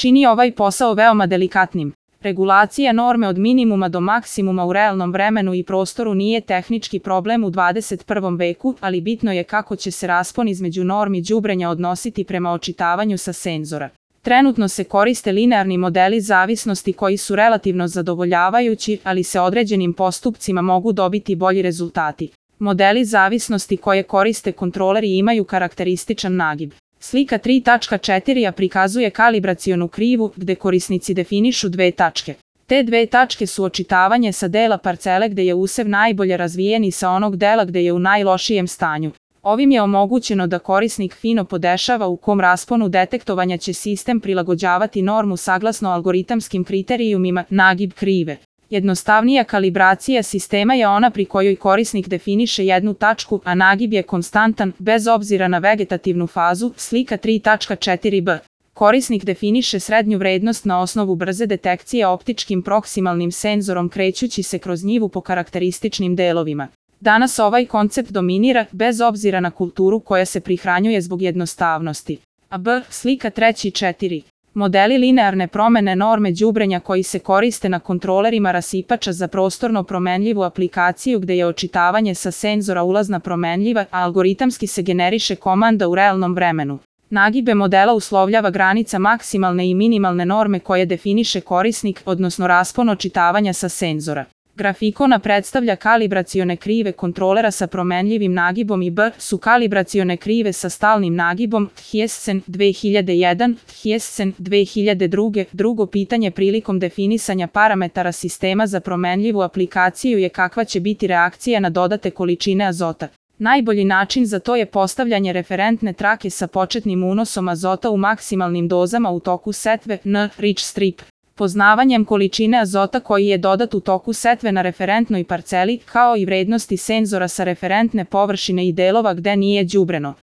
čini ovaj posao veoma delikatnim. Regulacija norme od minimuma do maksimuma u realnom vremenu i prostoru nije tehnički problem u 21. veku, ali bitno je kako će se raspon između normi đubrenja odnositi prema očitavanju sa senzora. Trenutno se koriste linearni modeli zavisnosti koji su relativno zadovoljavajući, ali se određenim postupcima mogu dobiti bolji rezultati. Modeli zavisnosti koje koriste kontroleri imaju karakterističan nagib. Slika 3.4 prikazuje kalibracionu krivu gde korisnici definišu dve tačke. Te dve tačke su očitavanje sa dela parcele gde je usev najbolje razvijen i sa onog dela gde je u najlošijem stanju. Ovim je omogućeno da korisnik fino podešava u kom rasponu detektovanja će sistem prilagođavati normu saglasno algoritamskim kriterijumima nagib krive. Jednostavnija kalibracija sistema je ona pri kojoj korisnik definiše jednu tačku, a nagib je konstantan, bez obzira na vegetativnu fazu, slika 3.4b. Korisnik definiše srednju vrednost na osnovu brze detekcije optičkim proksimalnim senzorom krećući se kroz njivu po karakterističnim delovima. Danas ovaj koncept dominira, bez obzira na kulturu koja se prihranjuje zbog jednostavnosti. Slika 3.4. Modeli linearne promene norme đubrenja koji se koriste na kontrolerima rasipača za prostorno promenljivu aplikaciju gde je očitavanje sa senzora ulazna promenljiva, a algoritamski se generiše komanda u realnom vremenu. Nagibe modela uslovljava granica maksimalne i minimalne norme koje definiše korisnik, odnosno raspon očitavanja sa senzora. Grafikona predstavlja kalibracione krive kontrolera sa promenljivim nagibom i su kalibracione krive sa stalnim nagibom Thiessen 2001, Thiessen 2002. Drugo pitanje prilikom definisanja parametara sistema za promenljivu aplikaciju je kakva će biti reakcija na dodate količine azota. Najbolji način za to je postavljanje referentne trake sa početnim unosom azota u maksimalnim dozama u toku setve Rich strip. Poznavanjem količine azota koji je dodat u toku setve na referentnoj parceli, kao i vrednosti senzora sa referentne površine i delova gde nije đubreno.